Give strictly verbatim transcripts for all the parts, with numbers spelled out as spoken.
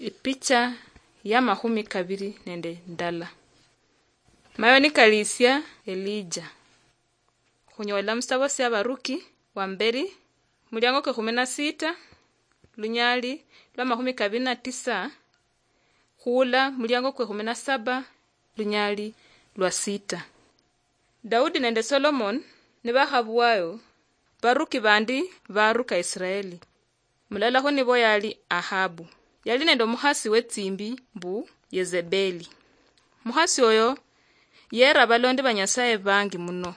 Ipicha ya makhumi kabiri nende ndala. Mayo nikalisia Elija. Khunyola musitabo sia Baruki wa mberi, muliango kwe kumi na sita, lunyali lwa makhumi kabiri na tisa, khula muliango kwe kumi na saba, lunyali lwa sita. Daudi nende Solomon nibakhabuayo, baruki bandi baruka Israeli. Mulala khunibo yali Ahabu. Yali nende omukhasi wetsimbi mbu Yezebeli. Mukhasi oyo yera abalondi ba Nyasaye bangi muno.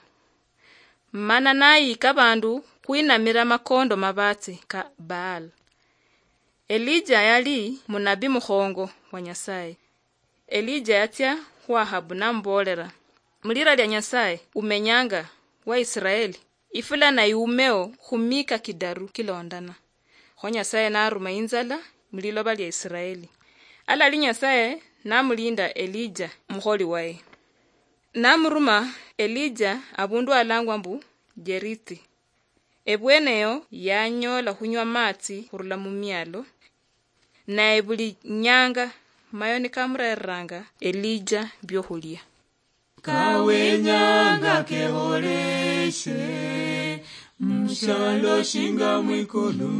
Mana nayika abandu khwinamira amakondo mabatsi ka Baal. Elija yali munabi mukhongo wa Nyasaye. Elija yatsia khu Ahabu namuboolera, "Mulira lia Nyasaye umenyanga wa Israeli, ifula nayumeo khumika kidaru kilondana." Kho Nyasaye naruma inzala muliloba lia Israeli. Alali Nyasaye namulinda Elija mukholi waye. Namuruma Elija abundu alangwa mbu Jerithi. Ebweneyo yanyola khunywa amatsi khurula mumialo, naye buli nyanga mayo nikamurereranga Elija biokhulia. Kawenyanga keholeshe, mushalo shinga mwikulu,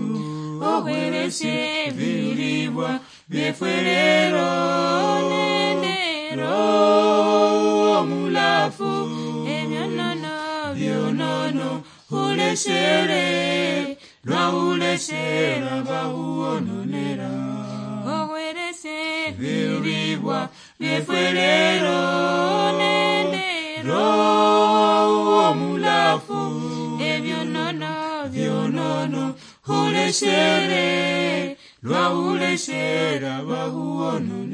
okhwereshe bilibwa byefwe lero, nende Roho Mulafu, ebyonono, byonono, huleshere, lwa huleshera bahuononera. Okhwereshe bilibwa byefwe lero, nende Roho Mulafu, ebyonono, byonono, huleshere, lwa huleshera bahuononera.